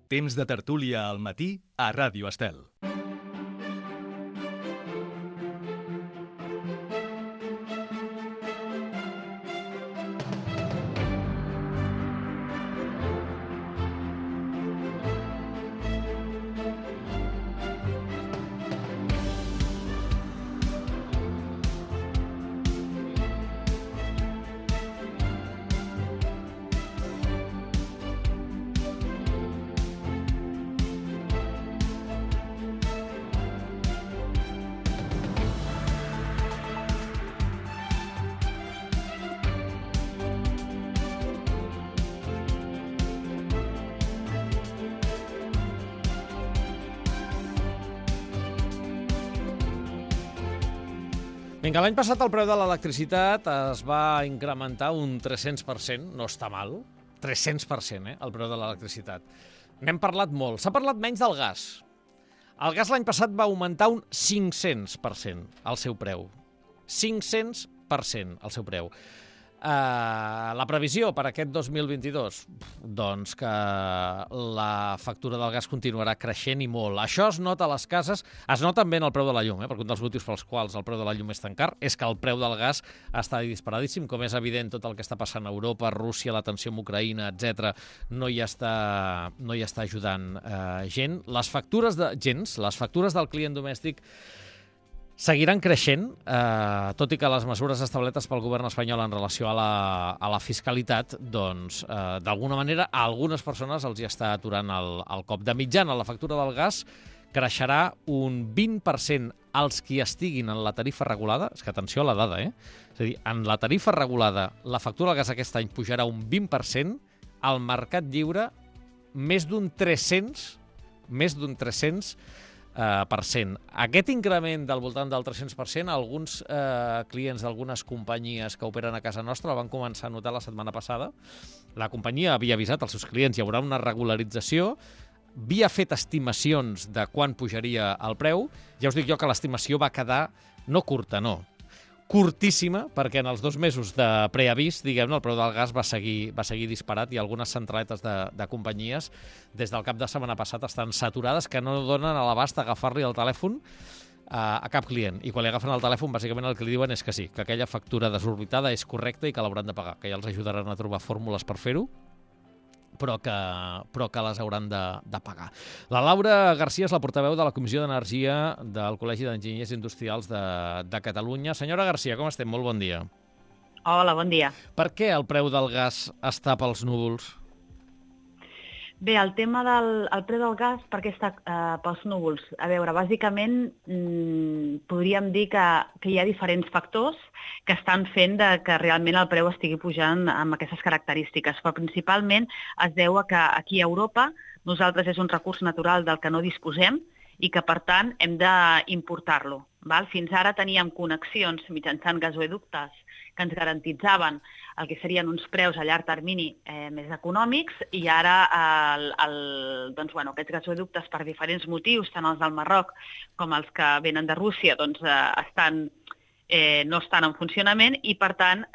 Temps de tertúlia al matí a Ràdio Estel. Vinga, l'any passat el preu de l'electricitat es va incrementar un 300%, no està mal, 300%, el preu de l'electricitat. N'hem parlat molt, s'ha parlat menys del gas. El gas l'any passat va augmentar un 500% el seu preu. 500% el seu preu. La previsió per aquest 2022, doncs que la factura del gas continuarà creixent i molt. Això es nota a les cases, es nota també en el preu de la llum, perquè un dels motius pels quals el preu de la llum és tan car és que el preu del gas està disparadíssim, com és evident tot el que està passant a Europa, Rússia, la tensió amb Ucraïna, etc. no hi està ajudant gent. Les factures del client domèstic seguiran creixent, tot i que les mesures establertes pel govern espanyol en relació a la fiscalitat, doncs, d'alguna manera, a algunes persones els hi està aturant el cop. De mitjana, la factura del gas creixerà un 20% als qui estiguin en la tarifa regulada. És que atenció a la dada, És a dir, en la tarifa regulada, la factura del gas aquest any pujarà un 20%, al mercat lliure més d'un 300%. Aquest increment del voltant del 300%, alguns clients d'algunes companyies que operen a casa nostra el van començar a notar la setmana passada. La companyia havia avisat als seus clients, hi haurà una regularització, havia fet estimacions de quan pujaria el preu. Ja us dic jo que l'estimació va quedar no curta, no, curtíssima, perquè en els 2 mesos de preavís, diguem-ne, el preu del gas va seguir disparat i algunes centraletes de companyies des del cap de setmana passat estan saturades que no donen a l'abast agafar-li el telèfon a cap client. I quan li agafen el telèfon, bàsicament el que li diuen és que sí, que aquella factura desorbitada és correcta i que l'hauran de pagar, que ja els ajudaran a trobar fórmules per fer-ho, però que les hauran de pagar. La Laura Garcia és la portaveu de la Comissió d'Energia del Col·legi d'Enginyers Industrials de Catalunya. Senyora Garcia, com estem? Molt bon dia. Hola, bon dia. Per què el preu del gas està pels núvols? Bé, el tema del preu del gas, per què està pels núvols? A veure, bàsicament podríem dir que hi ha diferents factors que estan fent que realment el preu estigui pujant amb aquestes característiques, però principalment es deu a que aquí a Europa nosaltres és un recurs natural del que no disposem i que, per tant, hem d'importar-lo. Fins ara teníem connexions mitjançant gasoductes que ens garantitzaven el que serien uns preus a llarg termini més econòmics i ara aquests gasoductes, per diferents motius, tant els del Marroc com els que venen de Rússia, no estan en funcionament i, per tant,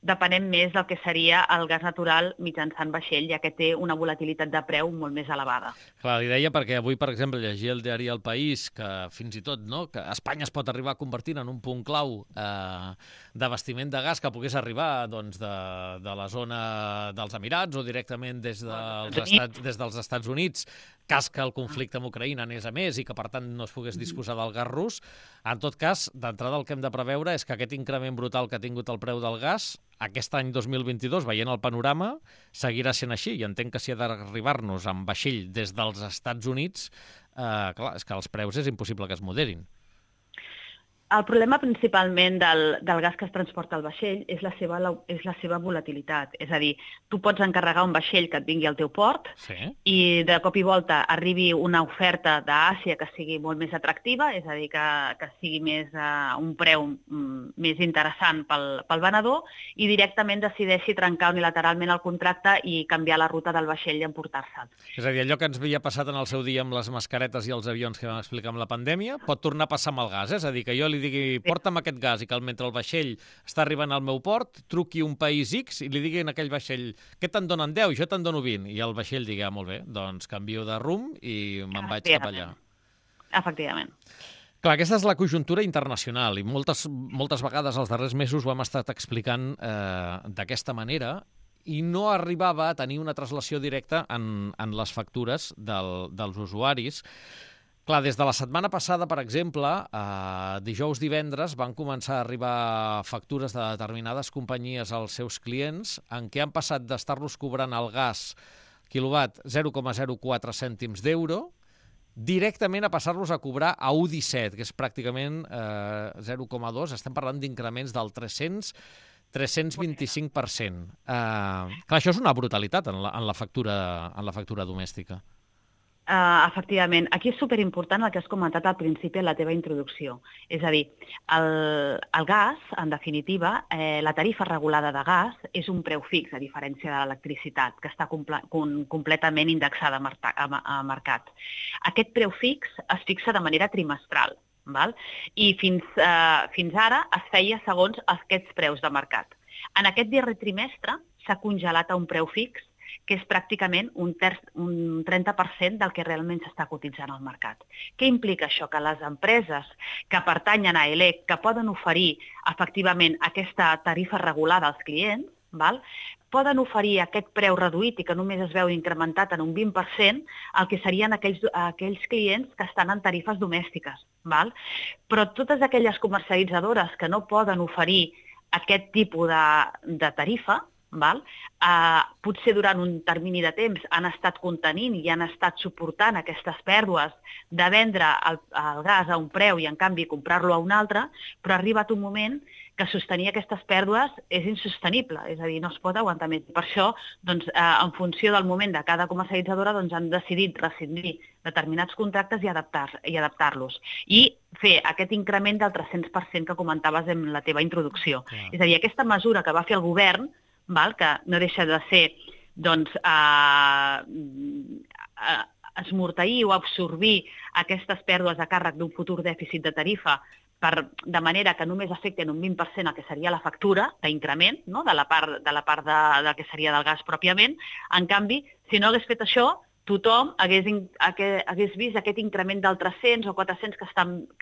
depenem més del que seria el gas natural mitjançant vaixell, ja que té una volatilitat de preu molt més elevada. Clar, li deia perquè avui, per exemple, llegia el diari El País que fins i tot que Espanya es pot arribar a convertir en un punt clau d'abastiment de gas que pogués arribar de la zona dels Emirats o directament des dels Estats Units, cas que el conflicte amb Ucraïna anés a més i que, per tant, no es pogués disposar del gas rus. En tot cas, d'entrada el que hem de preveure és que aquest increment brutal que ha tingut el preu del gas aquest any 2022, veient el panorama, seguirà sent així. I entenc que si ha d'arribar-nos amb vaixell des dels Estats Units, clar, és que els preus és impossible que es moderin. El problema principalment del gas que es transporta al vaixell és la seva volatilitat. És a dir, tu pots encarregar un vaixell que et vingui al teu port i de cop i volta arribi una oferta d'Àsia que sigui molt més atractiva, és a dir, que sigui més un preu més interessant pel venedor i directament decideixi trencar unilateralment el contracte i canviar la ruta del vaixell i emportar-se'l. És a dir, allò que ens havia passat en el seu dia amb les mascaretes i els avions que vam explicar amb la pandèmia pot tornar a passar amb el gas. És a dir, que jo li li digui porta'm aquest gas i que mentre el vaixell està arribant al meu port, truqui un país X i li digui a aquell vaixell què te'n donen 10? Jo te'n dono 20. I el vaixell digui, molt bé, doncs canvio de rumb i me'n vaig cap allà. Efectivament. Clar, aquesta és la conjuntura internacional i moltes vegades els darrers mesos ho hem estat explicant d'aquesta manera i no arribava a tenir una translació directa en les factures dels usuaris. Clar, des de la setmana passada, per exemple, dijous, divendres, van començar a arribar factures de determinades companyies als seus clients en què han passat d'estar-los cobrant el gas quilowatt 0,04 cèntims d'euro directament a passar-los a cobrar a 1,17, que és pràcticament 0,2. Estem parlant d'increments del 325%. Clar, això és una brutalitat en la factura domèstica. Efectivament. Aquí és superimportant el que has comentat al principi en la teva introducció. És a dir, el gas, en definitiva, la tarifa regulada de gas és un preu fix, a diferència de l'electricitat, que està completament indexada a mercat. Aquest preu fix es fixa de manera trimestral, val? I fins ara es feia segons aquests preus de mercat. En aquest darrer trimestre s'ha congelat a un preu fix que és pràcticament un 30% del que realment s'està cotitzant al mercat. Què implica això? Que les empreses que pertanyen a ELEC, que poden oferir efectivament aquesta tarifa regulada als clients, poden oferir aquest preu reduït i que només es veu incrementat en un 20% el que serien aquells clients que estan en tarifes domèstiques. Però totes aquelles comercialitzadores que no poden oferir aquest tipus de tarifa, potser durant un termini de temps han estat contenint i han estat suportant aquestes pèrdues de vendre el gas a un preu i en canvi comprar-lo a un altre, però ha arribat un moment que sostenir aquestes pèrdues és insostenible, és a dir, no es pot aguantar més. Per això, en funció del moment de cada comercialitzadora, han decidit rescindir determinats contractes i adaptar-los. I fer aquest increment del 300% que comentaves en la teva introducció. És a dir, aquesta mesura que va fer el govern, que no deixa de ser esmorteir o absorbir aquestes pèrdues a càrrec d'un futur dèficit de tarifa de manera que només afecten un 20% el que seria la factura d'increment, de la part del que seria del gas pròpiament. En canvi, si no hagués fet això, tothom hagués vist aquest increment del 300 o 400 que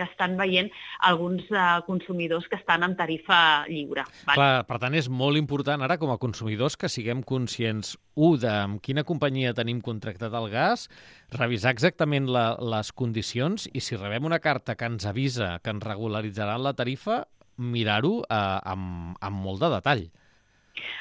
estan veient alguns consumidors que estan en tarifa lliure. Clar, per tant, és molt important ara com a consumidors que siguem conscients, de amb quina companyia tenim contractat el gas, revisar exactament les condicions i si rebem una carta que ens avisa que ens regularitzarà la tarifa, mirar-ho amb molt de detall.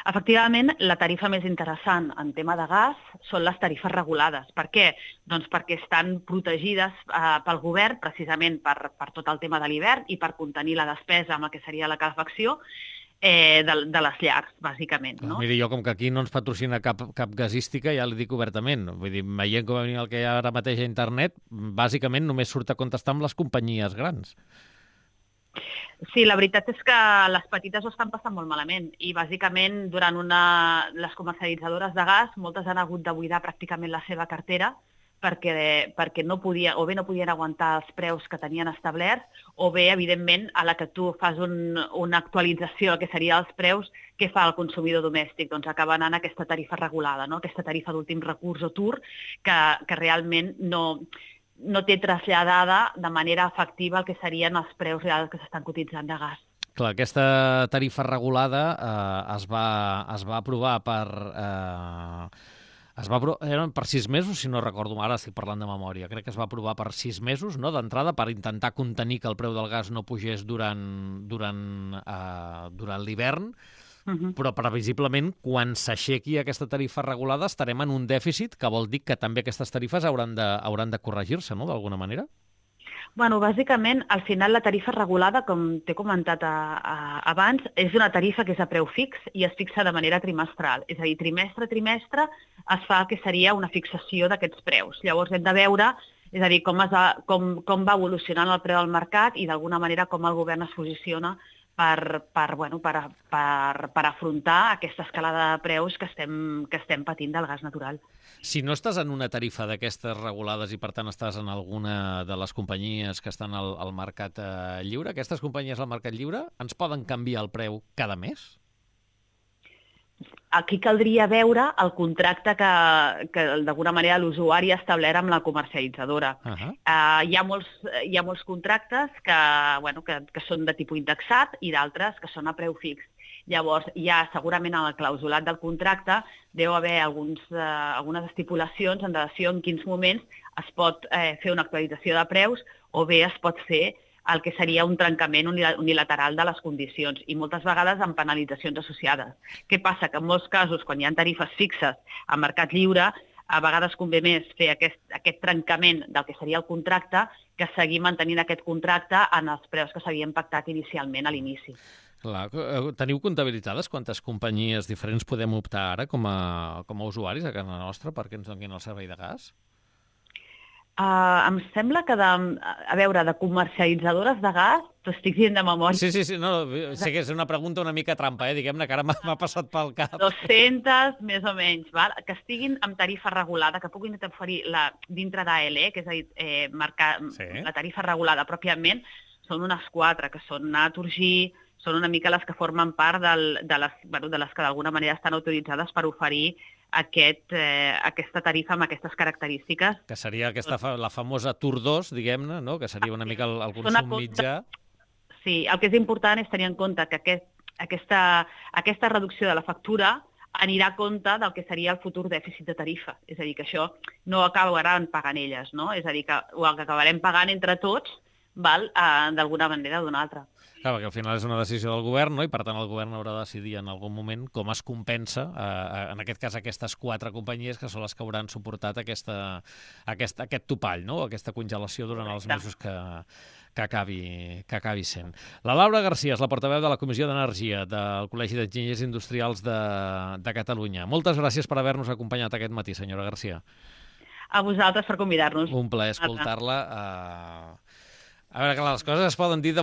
Efectivament, la tarifa més interessant en tema de gas són les tarifes regulades. Per què? Doncs perquè estan protegides pel govern precisament per tot el tema de l'hivern i per contenir la despesa amb el que seria la calefacció de les llars, bàsicament. No? Miri, jo com que aquí no ens patrocina cap gasística, ja li dic obertament. Vull dir, veient com el que hi ha ara mateix a internet, bàsicament només surt a contestar amb les companyies grans. Sí, la veritat és que les petites ho estan passant molt malament i bàsicament durant les comercialitzadores de gas moltes han hagut de buidar pràcticament la seva cartera perquè no podien aguantar els preus que tenien establerts o bé, evidentment, a la que tu fas una actualització del que serien els preus, què fa el consumidor domèstic? Doncs acaba anant a aquesta tarifa regulada, no? Aquesta tarifa d'últim recurs o TUR que realment no té traslladada de manera efectiva el que serien els preus reals que s'estan cotitzant de gas. Clar, aquesta tarifa regulada es va aprovar eren per 6 mesos, si no recordo, ara estic parlant de memòria. Crec que es va aprovar per 6 mesos, no?, d'entrada, per intentar contenir que el preu del gas no pugés durant l'hivern, però previsiblement quan s'aixequi aquesta tarifa regulada estarem en un dèficit, que vol dir que també aquestes tarifes hauran de corregir-se, no?, d'alguna manera? Bueno, bàsicament, al final la tarifa regulada, com t'he comentat abans, és una tarifa que és a preu fix i es fixa de manera trimestral. És a dir, trimestre a trimestre es fa el que seria una fixació d'aquests preus. Llavors hem de veure, és a dir, com va evolucionant el preu del mercat i d'alguna manera com el govern es posiciona per afrontar aquesta escalada de preus que estem patint del gas natural. Si no estàs en una tarifa d'aquestes regulades i, per tant, estàs en alguna de les companyies que estan al mercat lliure, aquestes companyies al mercat lliure ens poden canviar el preu cada mes? Aquí caldria veure el contracte que d'alguna manera l'usuari ha establert amb la comercialitzadora. Hi ha molts contractes que són de tipus indexat i d'altres que són a preu fix. Llavors, segurament en el clausulat del contracte deu haver algunes estipulacions en relació en quins moments es pot fer una actualització de preus o bé es pot fer el que seria un trencament unilateral de les condicions i moltes vegades amb penalitzacions associades. Què passa? Que en molts casos, quan hi ha tarifes fixes a mercat lliure, a vegades convé més fer aquest trencament del que seria el contracte que seguir mantenint aquest contracte en els preus que s'havien pactat inicialment a l'inici. Clar, teniu comptabilitzades quantes companyies diferents podem optar ara com a usuaris a casa nostra perquè ens donin el servei de gas? Em sembla que de comercialitzadores de gas, t'ho estic dient de memòria. Sí, no, sé que és una pregunta una mica trampa, diguem-ne, que ara m'ha passat pel cap. 200, més o menys, val? Que estiguin amb tarifa regulada, que puguin oferir dintre d'ALE, que és a dir, marcar la tarifa regulada pròpiament, són unes 4, que són Naturgy, són una mica les que formen part de les que d'alguna manera estan autoritzades per oferir aquesta tarifa amb aquestes característiques. Que seria la famosa Tour 2, diguem-ne, no? Que seria una mica el consum mitjà. Sí, el que és important és tenir en compte que aquesta reducció de la factura anirà a compte del que seria el futur dèficit de tarifa. És a dir, que això no acabaran pagant elles, no? És a dir, que ho acabarem pagant entre tots, d'alguna manera o d'una altra. Clar, perquè al final és una decisió del govern, no? I per tant el govern haurà de decidir en algun moment com es compensa, en aquest cas, aquestes 4 companyies que són les que hauran suportat aquest topall, no? Aquesta congelació durant els mesos que acabi sent. La Laura Garcia és la portaveu de la Comissió d'Energia del Col·legi d'Enginyers Industrials de Catalunya. Moltes gràcies per haver-nos acompanyat aquest matí, senyora Garcia. A vosaltres per convidar-nos. Un plaer escoltar-la. A veure, que les coses es poden dir de molt